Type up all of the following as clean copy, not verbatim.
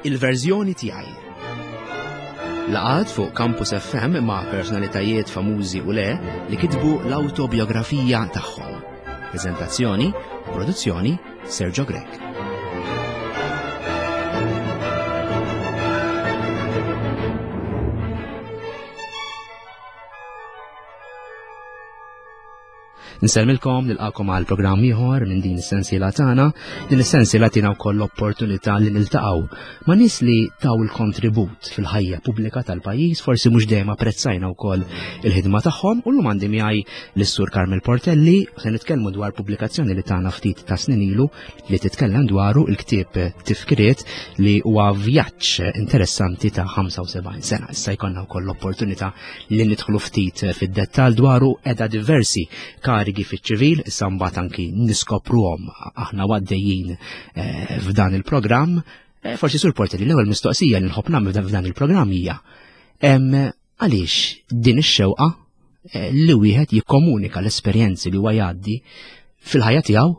Il-verżjoni tiegħi. Laqgħat fuq Campus FM ma' personalitajiet famużi u le li kitbu l-awtobiografija tagħhom. Preżentazzjoni u produzzjoni Sergio Grech. Nsellmilkom nilqakom għal programm ieħor minn din is-sensiela tagħna. Din is-sensiela tina wkoll l-opportunità li niltaqgħu ma' nies li taw il-kontribut fil-ħajja pubblika tal-pajjiż, forsi mhux dejjem apprezzajna wkoll il-ħidma tagħhom u llum għandi miegħi lis-Sur Carmel Portelli se nitkellmu dwar pubblikazzjoni li tagħna ftit ta' snin ilu li titkellem dwaru il-ktieb Tifkiriet li huwa vjaġġ interessanti ta' 75 sena. Issa jkollna wkoll l-opportunità li nidħlu ftit fid-dettall dwaru edha diversi karigi fiċ-ċivil, issa mbagħad anki niskopruhom aħna għaddejjin eh, f'dan il-programm. Eh, forsi sur Portelli l-ewwel mistoqsija li nħobb nagħmel f'dan il-programm hija għaliex din ix-xewqa eh, li wieħed jikkomunika l-esperjenzi li huwa jgħaddi fil-ħajja tiegħu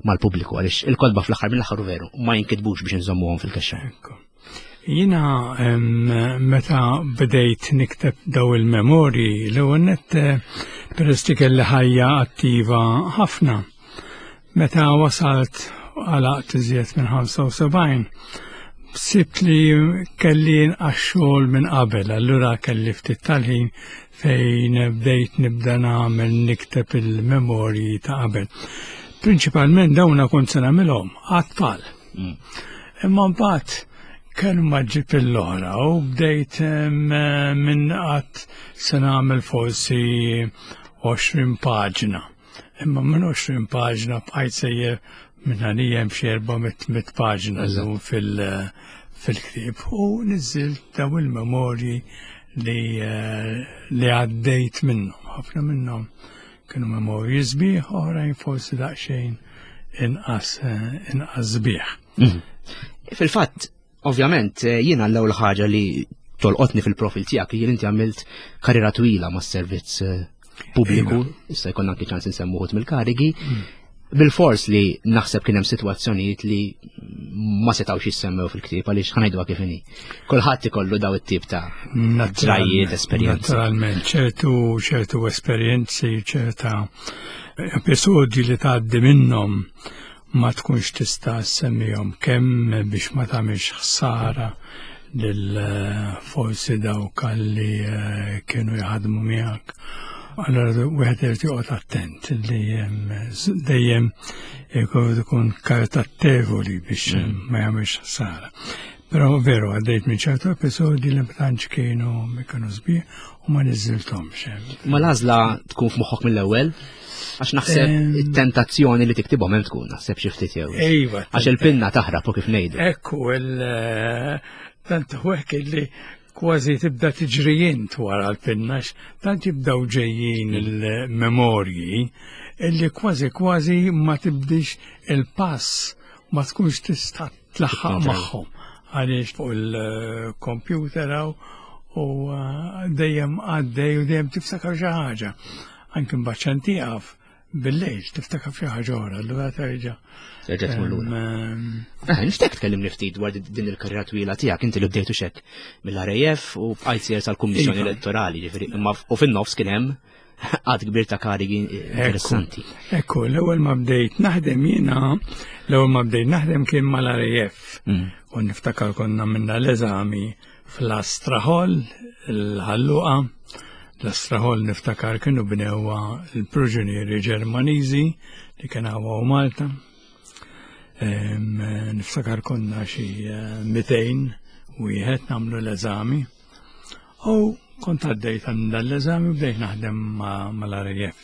mal-pubbliku għaliex il-kodba fl-aħħar mill-aħħar veru ma jinkitbux biex inżommuhom fil-kaxxa. Jiena meta bdejt nikteb daw il-memorji l-ewwel nett eh, peress li kelli ħajja attiva ħafna. Meta wasalt għalaqt iżjed minn 75, sibt li kelli inqas xogħol minn qabel, allura kelli ftit tal-ħin fejn bdejt nibda nagħmel nikteb il-memorji ta' qabel. Prinċipalment dawna kont se nagħmilhom għat-tfal. Mm. Imma mbagħad kellu ma ġib l-oħra u bdejt minn qatt se nagħmel forsi 20 paġna. Imma minn 20 paġna bqajt sejjer minn għalija hemm xi 400 paġna llum fil- fil-ktieb u niżżilt daw il-memorji li eh, li għaddejt minnhom. Ħafna minnhom kienu memorji sbieħ, oħrajn forsi daqsxejn inqas eh, inqas sbieħ. Mhm. Fil-fatt, ovvjament, eh, jiena l-ewwel ħaġa li tolqotni fil-profil tiegħek li inti għamilt karriera twila mas-servizz eh, pubbliku, issa jkollna anki ċans insemmu mill-karigi. Mm. Bil-fors li naħseb kien hemm sitwazzjonijiet li ma setgħux jissemmew fil-ktieb għaliex ħanajduha kif inhi. Kulħadd ikollu daw it-tip ta' ġrajiet, esperjenzi. Naturalment, ċertu ċertu esperjenzi, ċerta episodji li tgħaddi minnhom ma tkunx tista' semmihom kemm biex ma tagħmilx ħsara lil eh, forsi dawk li eh, kienu jaħdmu miegħek. Allora wieħed irid joqgħod attent li dejjem ikun karitattevoli biex mm. ma jagħmilx ħsara. Però veru għaddejt minn ċertu episodji li ma tantx kienu kienu sbieħ u ma niżilthomx. Ma l-għażla tkun f'moħħok mill-ewwel? Għax naħseb it-tentazzjoni li tiktibhom hemm tkun naħseb xi ftit jew. Iva. Għax il-pinna taħrab u kif ngħidu. Ekku il eh, tant hekk li kważi tibda tiġri int wara l-pinna tant jibdaw ġejjin mm. il-memorji illi kważi kważi ma tibdix il-pass ma tkunx tista' tlaħħaq magħhom għaliex fuq il-computer hawn u eh, dejjem għaddej u dejjem tiftakar xi ħaġa. Anke mbagħad xan tieqaf bil-lejl tiftakar xi ħaġa oħra, allura terġa'. Terġa' tmur lura. Eh, nixtieq tkellimni ftit dwar din il-karriera twila tiegħek inti li bdejtu xek mill-RAF u bqajt sejjer tal-Kummissjoni iva. Elettorali, ġifieri, imma u fin-nofs kien hemm għad kbir ta' karigi interessanti. Ekku, l-ewwel ma bdejt naħdem jiena, l-ewwel ma bdejt naħdem kien mal-RAF. Mm. U niftakar konna minna l-eżami fl-Astra Hall, il-ħalluqa. L-Astra Hall niftakar kienu bnewha l-proġunieri Ġermaniżi li kien hawn Malta. Niftakar konna xi 200 eh, wieħed nagħmlu l-eżami. U kont għaddejt għand dan l-eżami u bdejt naħdem mal-RAF.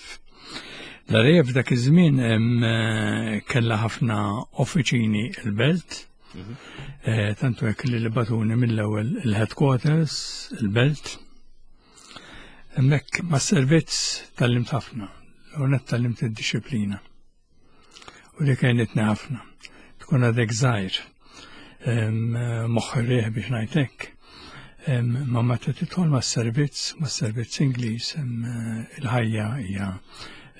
L-RAF dak iż-żmien eh, kellha ħafna offiċini il-belt, mhm. eh, tantu hekk li li batuni mill-ewwel il-headquarters, il-belt. Hemmhekk mas-servizz tallimt ħafna, u net tallimt id-disciplina. U li kienet ħafna. Tkun għadek żgħir, moħħ rieħ biex ngħidlek. Ma meta tidħol mas-servizz, mas-servizz Ingliż, il-ħajja hija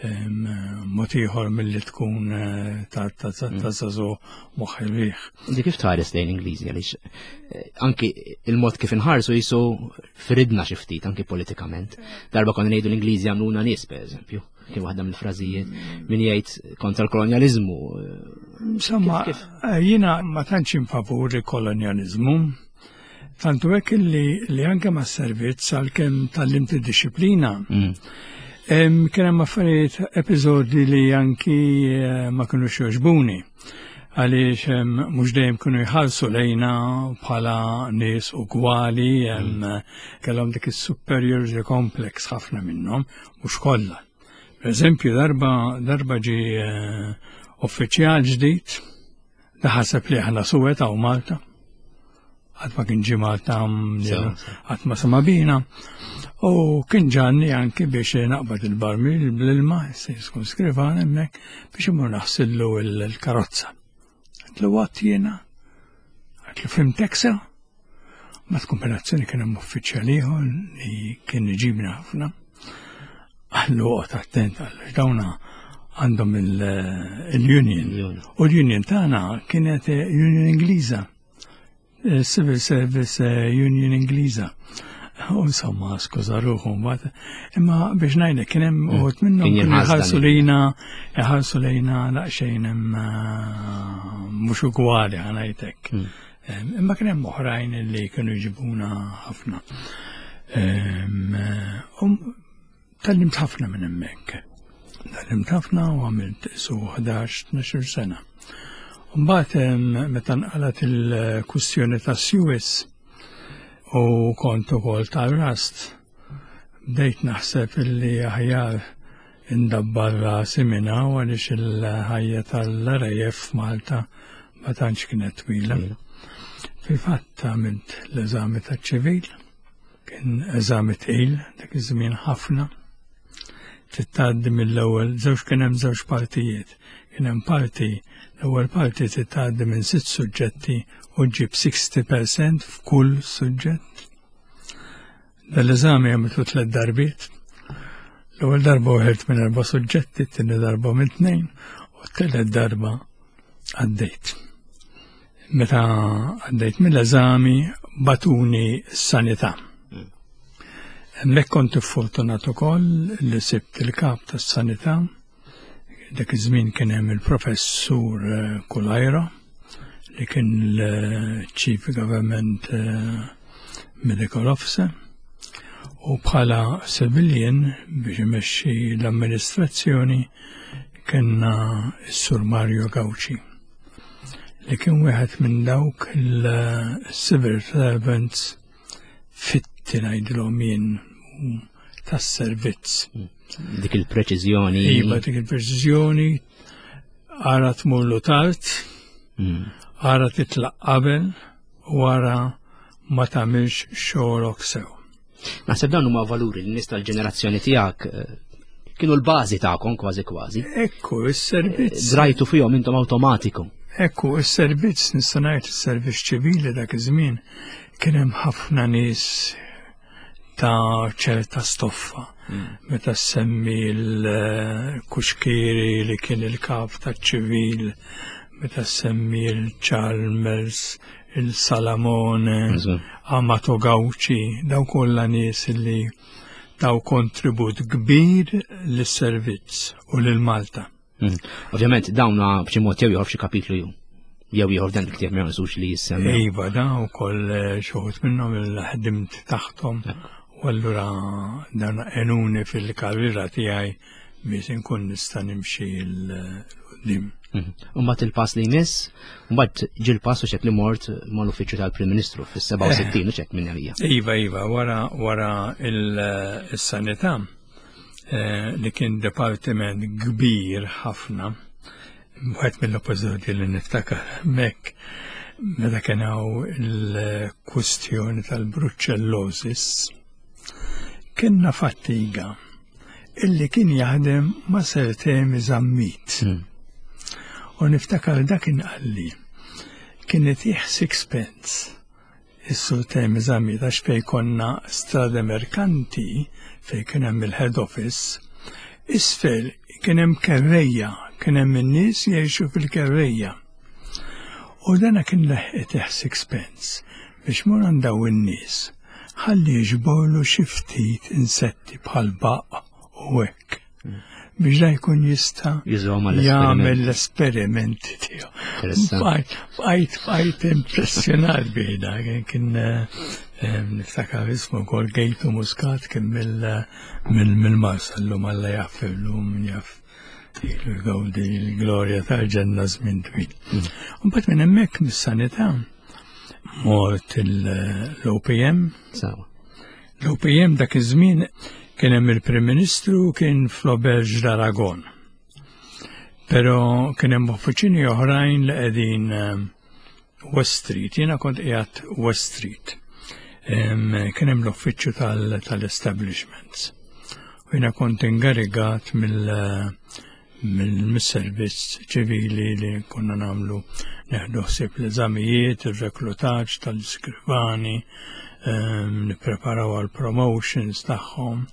Mod ieħor milli tkun eh, ta' żagħżugħ moħħ ir-riħ. Inti kif tħares lejn Ingliżi għaliex eh, anki il-mod kif inħarsu jisu fridna xi ftit anki politikament. Darba konna ngħidu l-Ingliżi għamluna nies pereżempju, kien waħda mill-frażijiet min jgħid kontra l-kolonjaliżmu. Insomma, jiena ma tantx infavur il-kolonjaliżmu. Tantu hekk li, li anke ma' servizz għalkemm tgħallimt id-disciplina. Kien hemm affarijiet episodji li anki eh, ma kinux jogħġbuni għaliex mhux dejjem kienu jħallsu lejna bħala nies ugwali, kellhom dik is-superiority complex ħafna minnhom, mhux kollha. Per eżempju, darba darba ġi eh, uffiċjal ġdid Da ħaseb li aħna suwed hawn Malta. Qatt ma kien ġie Malta qatt ma sema bina. U kien ġanni anki biex naqbad il-barmil bl-ilma, se jkun skrivan hemmhekk biex imur naħsillu l-karozza. Għatlu għat jiena, għatlu fimtek sew. Ma kombinazzjoni kien hemm uffiċjal ieħor li kien iġibna ħafna. Għallu oqgħod attent għallu dawna għandhom il-union. U l-union tagħna kienet eh, union Ingliża. Eh, Civil Service eh, Union Ingliża. U insomma, skuża ruħu mbagħad. Imma biex ngħidlek kien hemm mm. uħud minnhom kienu jħarsu lejna, jħarsu lejna daqsxejn hemm mhux ugwali ħanajtek. Mm. Imma kien hemm oħrajn li kienu jġibuna ħafna. Tallimt ħafna minn hemmhekk. Tallimt ħafna u għamilt su 11-12 sena. Mbagħad meta nqalat il-kwistjoni ta' Suez u kont ukoll tal-rast, bdejt naħseb illi aħjar Indabbar rasi minn hawn għaliex il-ħajja tal-RAF f'Malta ma tantx kienet twila. Fil-fatt għamilt l-eżami taċ-ċivil, kien eżami tqil dak iż-żmien ħafna. Trid mill-ewwel żewġ kien hemm żewġ partijiet. Kien hemm parti, l-ewwel parti trid tgħaddi minn sitt suġġetti u ġġib 60% f'kull suġġett. Dal-eżami għamiltu tlet darbiet. L-ewwel darba uħilt minn erba' suġġetti, t-tieni darba minn tnejn, u t-tielet darba għaddejt. Meta għaddejt mill-eżami batuni s-sanità. Hemmhekk kont fortunat ukoll li sibt il-kap tas-sanità Dak iż-żmien kien hemm il-professur eh, Kulajra li kien l-Chief Government eh, Medical Officer u bħala civilian biex imexxi l-amministrazzjoni kellna s-Sur Mario Gauci li kien wieħed minn dawk il-civil servants fitti ngħidilhom jien tas-servizz. Dik il-preċiżjoni. Iva, dik il-preċiżjoni, ara tmurlu tard, hmm. ara titlaq qabel, u ara ma tagħmilx xogħolok sew. Naħseb dawn huma valuri li nies tal-ġenerazzjoni tiegħek eh, kienu l-bażi tagħkom kważi kważi. Ekku, is-servizz. Eh, drajtu fihom intom awtomatiku. Ekku, is-servizz nista' ngħid is-servizz ċivili dak iż-żmien kien hemm ħafna nies ta' ċerta stoffa. Mm. Meta semmi l-Kuxkiri li kien il-kap ta' ċivil, meta semmi l-Chalmers, il-Salamone, Amato Gauci, daw kollha nies li taw kontribut kbir lis-servizz u lil Malta. Mm. Ovvjament dawna b'xi mod jew ieħor f'xi kapitlu jew jew ieħor dan il-ktieb ma jonqsux li jissemmi. Iva, da wkoll eh, xi wħud minnhom il-ħdimt taħthom u allura dan għenuni fil-karriera tiegħi biex inkun nista' nimxi l-qudiem. Mhm. Mbagħad il-pass li jmiss, mbagħad ġi l-pass u xek li mort mal-uffiċċju tal-Prim Ministru fis-67 u xek minn għalija. Iva, iva, wara wara il-sanità Eh, li kien departiment kbir ħafna, wieħed mill-episodji li niftakar hemmhekk meta kien hawn il-kwistjoni tal-bruċellosis, kienna fattiga illi kien jaħdem ma' Sir Temi Zammit. Hmm. U niftakar dak inqalli kien itih sixpence Is-Sur Temi Zammit għax fejn konna Strade Mercanti fejn kien hemm il-head office, Isfel kien hemm kerrejja, kien hemm in-nies jgħixu fil-kerrejja. U dana kien leħqitih sixpence biex mur għand daw in-nies ħalli jiġborlu xi ftit insetti bħal baqq u hekk biex da jkun jista' jagħmel l-esperimenti tiegħu. Bqajt bqajt impressjonat bih da kien eh, niftakar ismu wkoll Gejtu Muscat kien mill-Marsa llum Alla jaffirlu min jaf ilu jgawdi l-glorja tal-ġenna żmien twil. Mbagħad minn hemmhekk mis-sanità mort l-OPM. L-OPM dak iż-żmien kien hemm il-Prim Ministru kien fl-Auberge d'Aragon. Però kien hemm uffiċini oħrajn li qegħdin ehm, West Street, jiena kont qiegħed West Street. Ehm, kien hemm l-uffiċċju tal-establishments. U jiena kont ingarigat mill mill-servizz ċivili li konna namlu neħdu ħsieb l-eżamijiet, ir-reklutaġġ tal-iskrivani, ehm, nippreparaw għal promotions tagħhom.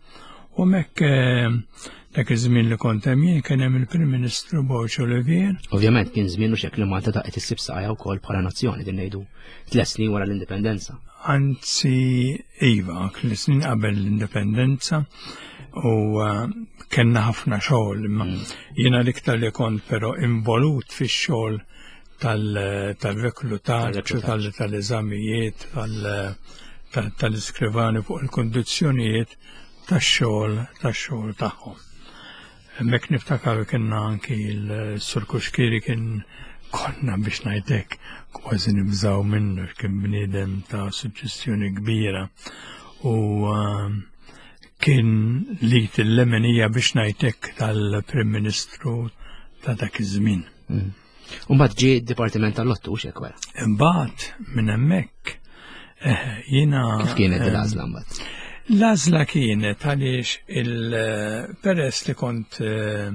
U mekk ehm, dak iż-żmien li kont hemm jien kien hemm il-Prim Ministru Borg Olivier. Ovvjament kien żmien u xekk li Malta daqet issib saqajja wkoll bħala nazzjoni din ngħidu tliet snin wara l-indipendenza. Anzi, iva, tliet snin qabel l-indipendenza u eh, kellna ħafna xogħol imma mm. jiena l-iktar li kont però involut fix-xogħol tal-reklutaġġ u tal-eżamijiet tal-iskrivani fuq il-kondizzjonijiet tax-xogħol tax-xogħol tagħhom. Hemmhekk niftakar kienna anki l-Sur Kuxkiri kien konna biex ngħidlek kważi nibżaw minnu kien bniedem ta' suġġestjoni kbira u ehm, kien li t-lemenija biex ngħidlek tal-Prim Ministru ta' dak iż-żmien. Mm. Umbagħad ġie d-Dipartiment tal-Lottu xek wara. Imbagħad minn hemmhekk eh, jiena. Kif kienet eh, l-għażla mbagħad? L-għażla kienet għaliex il-peress li kont eh,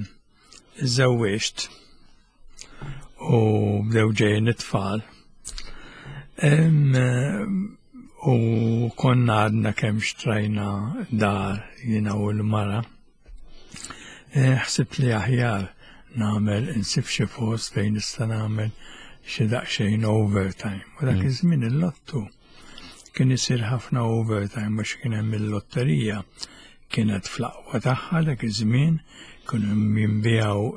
żewwiġt u bdew ġejjin it-tfal. U konna għadna kemm xtrajna dar jiena u l-mara. Eh, ħsibt li aħjar nagħmel insib xi post fejn nista' nagħmel xi daqsxejn overtime. U dak mm. iż-żmien il-lottu kien isir ħafna overtime għax kien hemm il-lotterija kienet fl-aqwa tagħha dak iż-żmien kienu jinbiegħu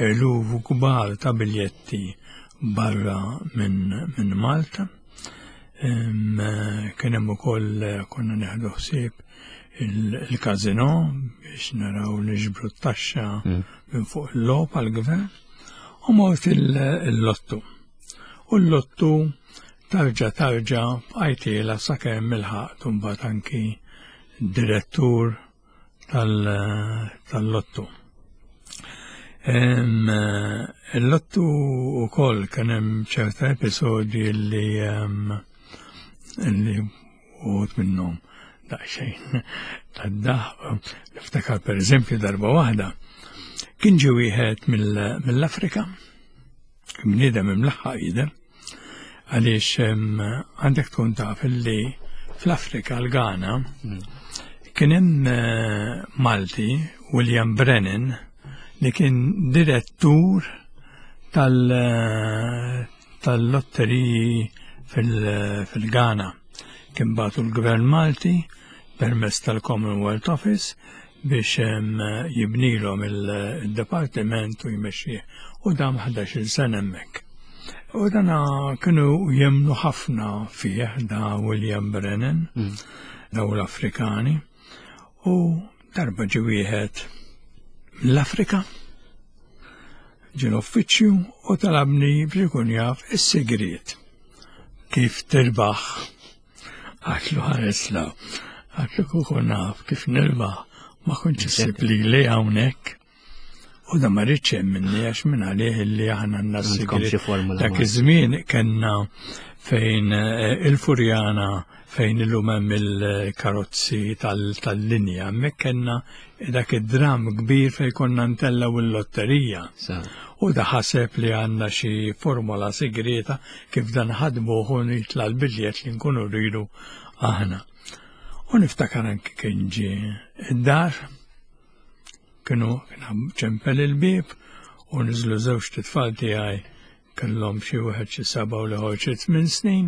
eluf kbar ta' biljetti barra minn min Malta. Kien hemm ukoll konna neħdu ħsieb il-kazino biex naraw niġbru t-taxxa mm. minn fuq il-logħob għall-gvern u mort il-lottu. U l-lottu tarġa tarġa bqajtiela sakemm il-ħaqt mbagħad anki direttur tal-lottu. Il-lottu u koll kien hemm ċerta episodji li li uħut minnhom daqsxejn tad-daħ. Niftakar per eżempju darba waħda kien ġie wieħed mill-Afrika, bniedem imlaħħaq jidher, Għaliex għandek tkun taf li fl-Afrika l-Ghana hmm. kien hemm eh, Malti William Brennan li kien direttur eh, tal-lotteriji fil-Ghana. Kien batu l-Gvern Malti permezz tal-Commonwealth Office biex jibnilhom il-dipartiment u jmexxih u dam 11-il sena hemmhekk. U dana kienu jemnu ħafna fih da William Brennan, mm. daw l-Afrikani, u darba ġi wieħed mill-Afrika, ġi l-uffiċċju u talabni biex ikun jaf is-sigriet kif tirbaħ Għatlu ħares la, għatlu kuku naf kif nirbaħ, ma kontx issib li li hawnhekk. U da ma rridx minni għax minn għalih li aħna għandna sigriet. Dak iż-żmien kellna fejn eh, il-Furjana fejn illum hemm il-karozzi tal-linja, hemmhekk kellna dak id-dram kbir fejn konna ntellgħu il-lotterija. U da ħaseb li għandna xi formola sigrieta kif dan ħadmuh u nitla' l-biljett li nkunu rridu aħna. U niftakar anki kien ġie id-dar, Kienu kien ċempel il-bieb u niżlu żewġ titfal tiegħi kellhom xi wieħed xi seba' u l-ieħor xi tmien snin.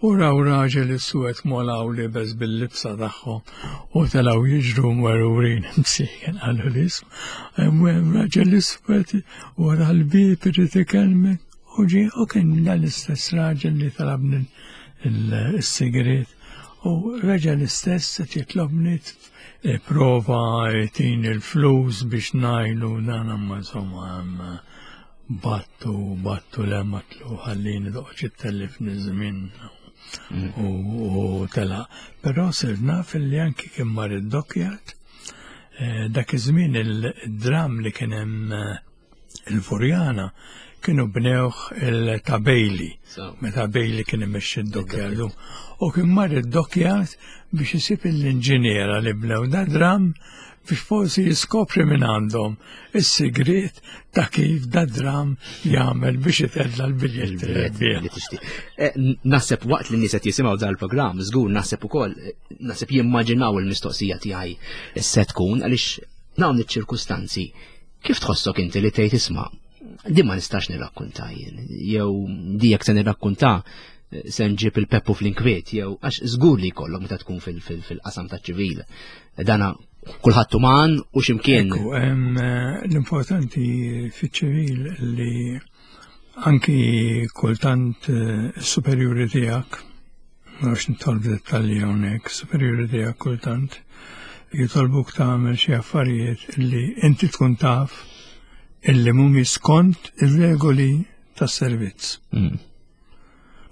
U raw raġel iswed molaw libes bil-libsa tagħhom u telgħu jiġru mwerwrin msiken qalu l-ism. Hemm raġel iswed wara l-bieb irid ikellmek. U ġie u kien dan l-istess raġel li talabni il-sigriet u reġa' l-istess qed jitlobni prova jtini l-flus biex ngħinu dan imma insomma battu battu le matlu ħallini toqgħodx ittellifni żmien u telaq. Però sirt naf li anki kien mar id-dockyard eh, dak iż-żmien il-dram li kien hemm eh, il-Furjana kienu bnewh il-ta' Bailey, meta Bailey kien imexxi d-dockyard. U kien mar id-dockyard biex isib l-inġiniera li bnew da dram biex forsi jiskopri minn għandhom is-sigriet ta' kif da dram jagħmel biex itella l-biljetti. Eh, naħseb waqt li nies qed jisimgħu dal-programm, żgur naħseb ukoll eh, naħseb jimmaġinaw il-mistoqsija tiegħi se tkun għaliex dawn iċ-ċirkustanzi Kif tħossok inti li tgħid isma' di ma nistax nirrakkunta jien, jew di jekk se nirrakkunta eh, se nġib il-peppu fl-inkwiet, jew għax żgur li jkollok meta tkun fil-qasam taċ-ċivil. Dana kulħadd uman u x'imkien. Eh, l-importanti fiċ-ċivil li anki kultant eh, superjuri tiegħek Ma nafx nidħol f'dettalji hawnhekk, superjuri tiegħek kultant jitolbuk tagħmel xi affarijiet li inti tkun taf illi mhumiex skont ir-regoli tas-servizz. Mm.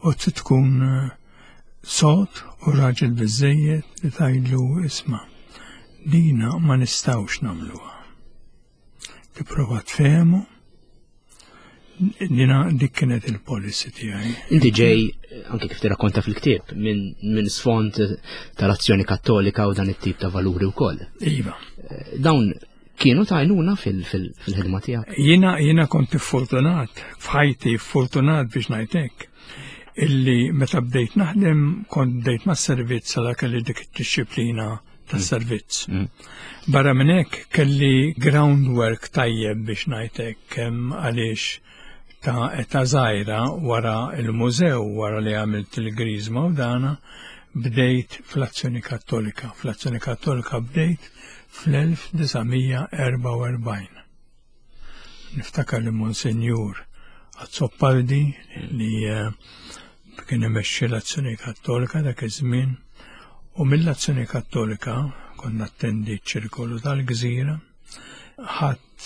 U trid tkun eh, sod u raġel biżejjed li tgħidlu isma' dina ma nistgħux nagħmluha. Tipprova tfehmu Dina dik kienet il-policy tiegħi. Inti ġej, anke kif tirrakkonta fil-ktieb, minn min sfond tal-azzjoni kattolika u dan it-tip ta' valuri wkoll. Iva. Eh, dawn kienu ta' għajnuna fil-ħidma tiegħek? Jiena jiena kont fortunat, f'ħajti fortunat biex ngħidlek illi meta bdejt naħdem kont bdejt mas-servizz għal kelli dik id-disciplina tas-servizz. Mm. Barra minn hekk kelli groundwork tajjeb biex ngħidlek kemm għaliex ta' età żgħira wara il-mużew wara li għamilt il-griżma u dana bdejt fl-Azzjoni Kattolika. Fl-Azzjoni Kattolika bdejt fl-1944. Niftakar li Monsinjur Azzopardi li eh, kien imexxi l-Azzjoni Kattolika dak iż-żmien u mill-Azzjoni Kattolika konna attendi ċ-ċirkolu tal-Gżira ħadd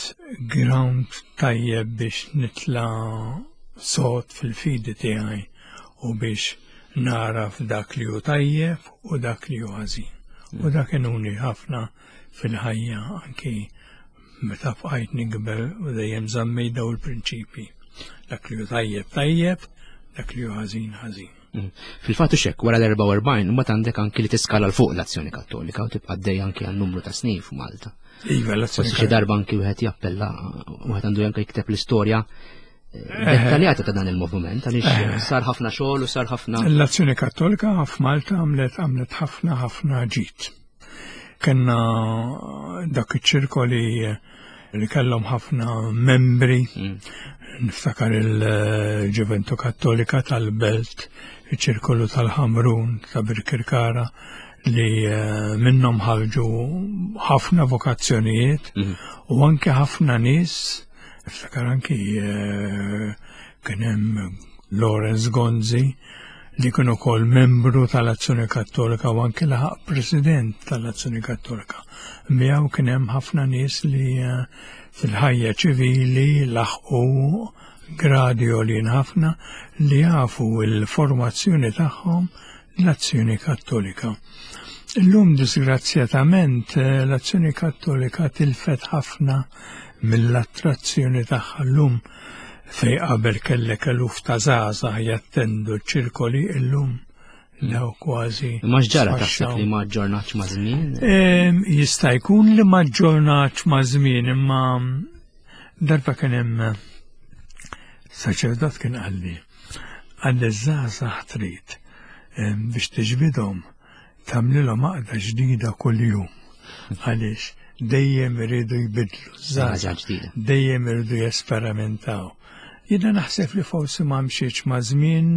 ground tajjeb biex nitla sod fil-fidi tiegħi u biex naraf dak li hu tajjeb u dak li hu ħażin. U dak inuni ħafna fil-ħajja anki meta bqajt nikber u dejjem żammejt daw il-prinċipji. Dak li hu tajjeb tajjeb, dak li hu ħażin ħażin. Mm. Fil-fatt xek, wara l-44, mbagħad għandek anki li tiskala l fuq l-azzjoni kattolika u tibqa' dej anki għal numru ta' snin f'Malta. Iva, l-azzjoni. Forsi xi darba anki wieħed jappella, wieħed għandu anke jikteb l-istorja eh, dettaljata ta' dan il-moviment għaliex eh. sar ħafna xogħol u sar ħafna. L-azzjoni kattolika f'Malta għamlet għamlet ħafna ħafna ġid. Kenna dak iċ-ċirkoli li kellhom ħafna membri, mm. niftakar il-Ġuventu Kattolika tal-Belt, iċ-ċirkolu tal-Ħamrun ta' Birkirkara li eh, minnhom ħarġu ħafna vokazzjonijiet mm. u anke ħafna nies, niftakar anki eh, kien hemm Lawrence Gonzi li kien ukoll membru tal-Azzjoni Kattolika u anke laħaq president tal-Azzjoni Kattolika. Miegħu kien hemm ħafna nies li eh, fil-ħajja ċivili laħqu gradi għolin ħafna li jafu l-formazzjoni tagħhom l-Azzjoni Kattolika. Illum disgrazzjatament eh, l-Azzjoni Kattolika tilfet ħafna mill-attrazzjoni tagħha llum Fej qabel kellek eluf ta' żgħażagħ jattendu ċ-ċirkoli illum lew kważi. Ma x'ġara taħseb li ma ġġornatx ma' żmien? Jista' jkun li ma ġġornatx ma' żmien imma darba kien hemm saċerdot kien qalli qalli żgħażagħ trid biex tiġbidhom tagħmlilhom għaqda ġdida kuljum. Għaliex? Dejjem iridu jbidlu żgħażagħ, dejjem iridu jesperimentaw. Jiena naħseb li forsi ma mxietx ma' żmien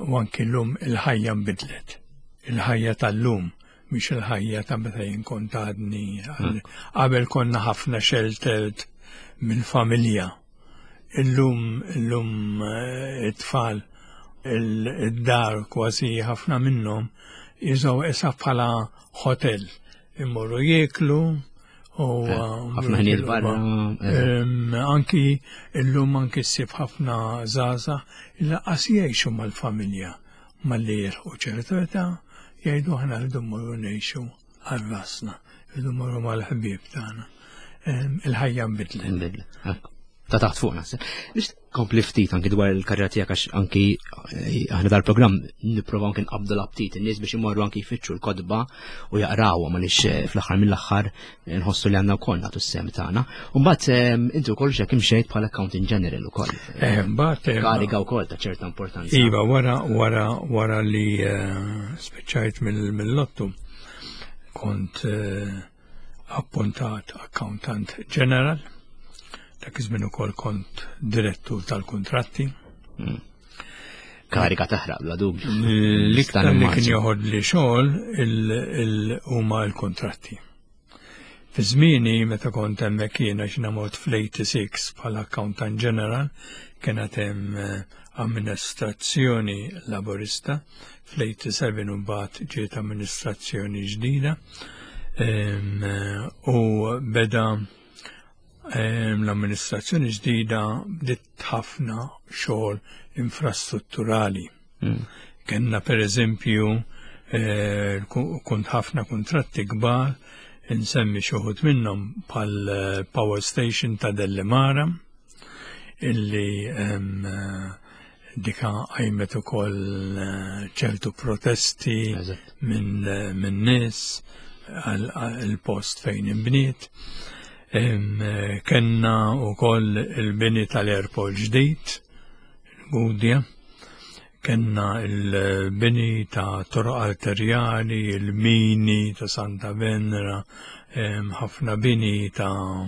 u anki llum il-ħajja nbidlet. Il-ħajja tal-lum mhix il-ħajja ta' meta jien kont għadni. Qabel konna ħafna sheltered mill-familja. Illum illum eh, it-tfal id-dar kważi ħafna minnhom jiżgħu issa bħala hotel. Immorru jieklu u eh, ħafna ħinijiet barra. Eh. Anki illum anki ssib ħafna żgħażagħ il-qas jgħixu mal-familja malli jilħqu ċertu età jgħidu aħna rridu mmorru ngħixu għal rasna, rridu mmorru mal-ħbieb tagħna. Il-ħajja nbidlet. Nbidlet. Ta' taħt fuq naħseb. Biex kompli ftit anki dwar il-karriera tiegħek għax anki eh, aħna dal-programm nipprovaw anki nqabdu l-aptit in-nies biex imorru anki jfittxu l-kodba u jaqrawhom għaliex eh, fl-aħħar mill-aħħar nħossu li għandna wkoll nagħtu s-sem tagħna. U mbagħad ehm, inti wkoll xek imxejt bħala accounting general ukoll. Eh, mbagħad eh, kariga wkoll ta' ċerta importanza. Iva, wara wara wara li eh, spiċċajt mill-lottu kont appuntat accountant general, dak iż-żmien ukoll kont direttur tal-kuntratti. Hmm. Kariga taħraq bla dubju. L-iktar li kien joħod li xogħol huma l-kuntratti. Fi żmieni meta kont hemmhekk jiena x'na mort fl-86 bħala accountant general kienet hemm eh, amministrazzjoni laburista fl-87 u mbagħad ġiet amministrazzjoni ġdida eh, u beda L-amministrazzjoni ġdida bdiet ħafna xogħol infrastrutturali. Mm. Kenna per eżempju eh, kont ħafna kontratti kbar insemmi xoħut minnhom bħal eh, power station ta' Dellimara illi eh, dika għajmet ukoll ċertu protesti minn min nies għal post fejn imbniet. Kenna ukoll il-bini tal-airport ġdid, il-Gudja, kenna il-bini ta' toroq arterjali, il-mini ta' Santa Venera, ħafna bini ta'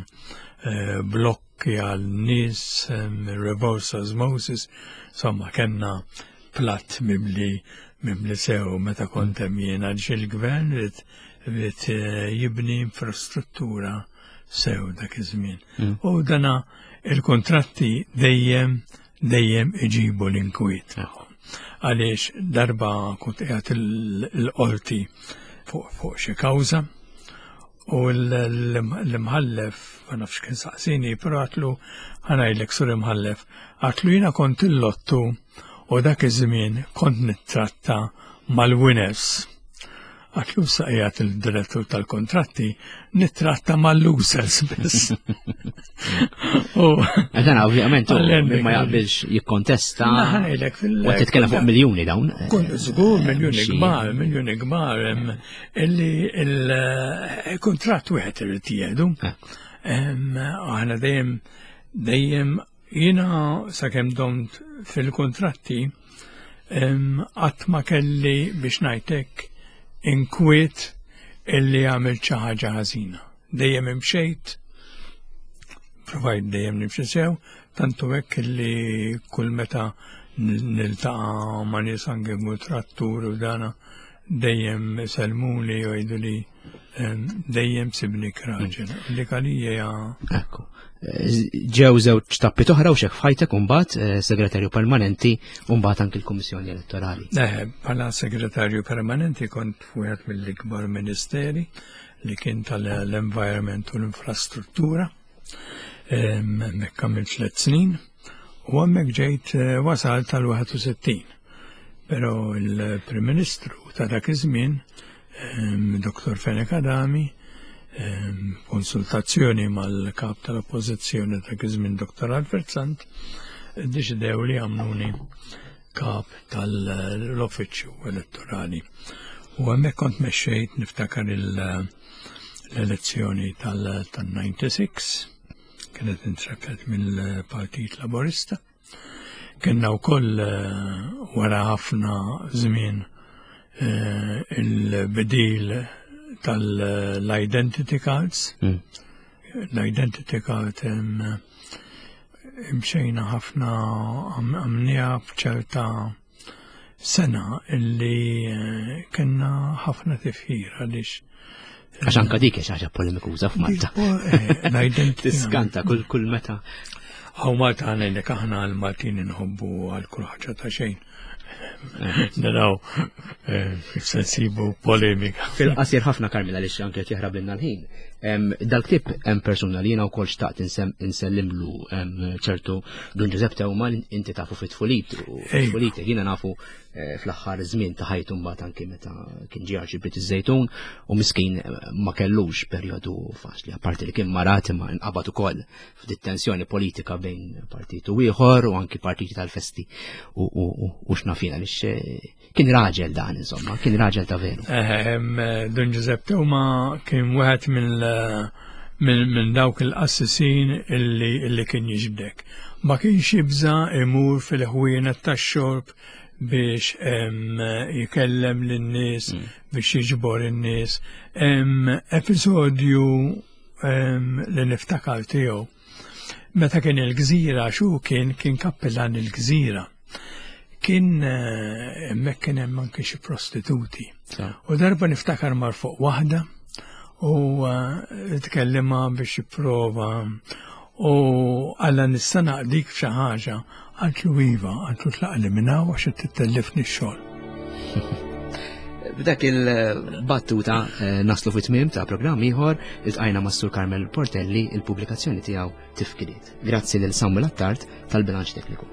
eh, blokki għal nies, reverse osmosis, insomma kenna platt mimli mimli sew meta kont hemm jien għaliex il-gvern ried ried eh, jibni infrastruttura sew dak iż-żmien. Mm. U dana il-kontratti dejjem dejjem iġibu l-inkwiet. Għaliex darba kont qiegħed il-qorti fuq xi kawża U l-imħallef, ma nafx kien saqsini, però għatlu ħanajlek sur imħallef, għatlu jina kont il-lottu u dak iż-żmien kont nittratta mal-winners. Għatlu saqijat il-direttur tal-kontratti nittratta mal-losers biss. Dan ovvjament ma jaqbilx jikkontesta. U titkellem fuq miljuni dawn. Kun żgur miljuni kbar, miljuni kbar. Illi il-kuntratt wieħed irid jieħdu. Aħna dejjem dejjem jiena sakemm domt fil-kuntratti qatt ma kelli biex ngħidlek inkwiet illi għamilt xi ħaġa ħażina. Dejjem imxejt, provajt dejjem nimxi sew, tantu hekk illi kull meta niltaqa' ma' nies anke kuntrattur u dana dejjem sellmuli u jgħiduli dejjem sibnik raġel. Dik għalija hija. Ekku. Ġew żewġ tappi toħra u xek f'ħajtek imbagħad eh, segretarju permanenti u mbagħad anki l-Kummissjoni Elettorali. Eh, bħala segretarju permanenti kont wieħed mill-ikbar ministeri li kien tal-environment u l-infrastruttura. Hemmhekk għamilt tliet snin u hemmhekk ġejt eh, wasal tal-61. Però il-Prim Ministru ta' dak iż-żmien, Dr. Fenech Adami, konsultazzjoni mal-kap tal-Oppożizzjoni dak iż-żmien Dr. Alfred Sant, deċidew li għamluni kap tal-Uffiċċju Elettorali. U hemmhekk kont mexxejt niftakar l-elezzjoni tal-96 kienet intrepet mill-Partit Laburista. Kenna wkoll eh, wara ħafna żmien eh, il-bidil tal-identity cards. L-identity card imxejna ħafna għamnija f'ċerta sena illi eh, kellna ħafna tifħir għaliex Għax anka dik xi ħaġa polemikuża f'Malta. Eh, l-identity. Tiskanta kull kull meta. Għaw Malta għanajlek aħna għal-Maltin nħobbu għal kull ħaġa ta' xejn. Naraw eh, sensibu polemika. Fil-qasir ħafna Karmela li anke qed jaħrab lilna l-ħin. Dal-ktib hemm persuna li jiena wkoll xtaqt insellimlu ċertu Dun Ġużepp Tewma inti tafu fit-tfulit u fit-tfulit jiena nafu eh, fl-aħħar żmien ta' ħajtu mbagħad anke meta kien ġie arċipriet iż-Żejtun u miskin eh, ma kellux perjodu faċli apparti li kien marat imma nqabad ukoll f'dit tensjoni politika bejn partit u ieħor u anki partiti tal-festi u x'nafina għaliex eh, Kien raġel dan, insomma, kien raġel ta' veru. Eh, Don Giuseppe Tuma kien wieħed minn dawk il-qassisin illi, illi kien jiġbdek. Ma kienx jibża imur fil-ħwienet tax-xorb biex jikellem lin-nies, biex jiġbor in-nies. Episodju li niftakar tiegħu. Meta kien il-gżira, xu kien kien kappillan il-gżira. Kien eh, hemmhekk kien hemm anke xi prostituti. U darba niftakar mar fuq waħda u eh, tkellimha biex jipprova u għalla nista' naqdik f'xi ħaġa għaltlu iva, għaltlu tlaqli minn hawn għax qed tittellifni x-xogħol. B'dak il-battuta eh, naslu fit-tmiem ta' programm ieħor iltqajna mas Sur Carmel Portelli il-pubblikazzjoni tiegħu Tifkiriet. Grazzi lil Samuel Attard tal-bilanċ tekniku.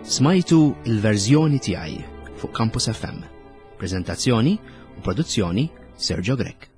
Smajtu il-verżjoni tiegħi fuq Campus FM. Prezentazzjoni u produzzjoni Sergio Grech.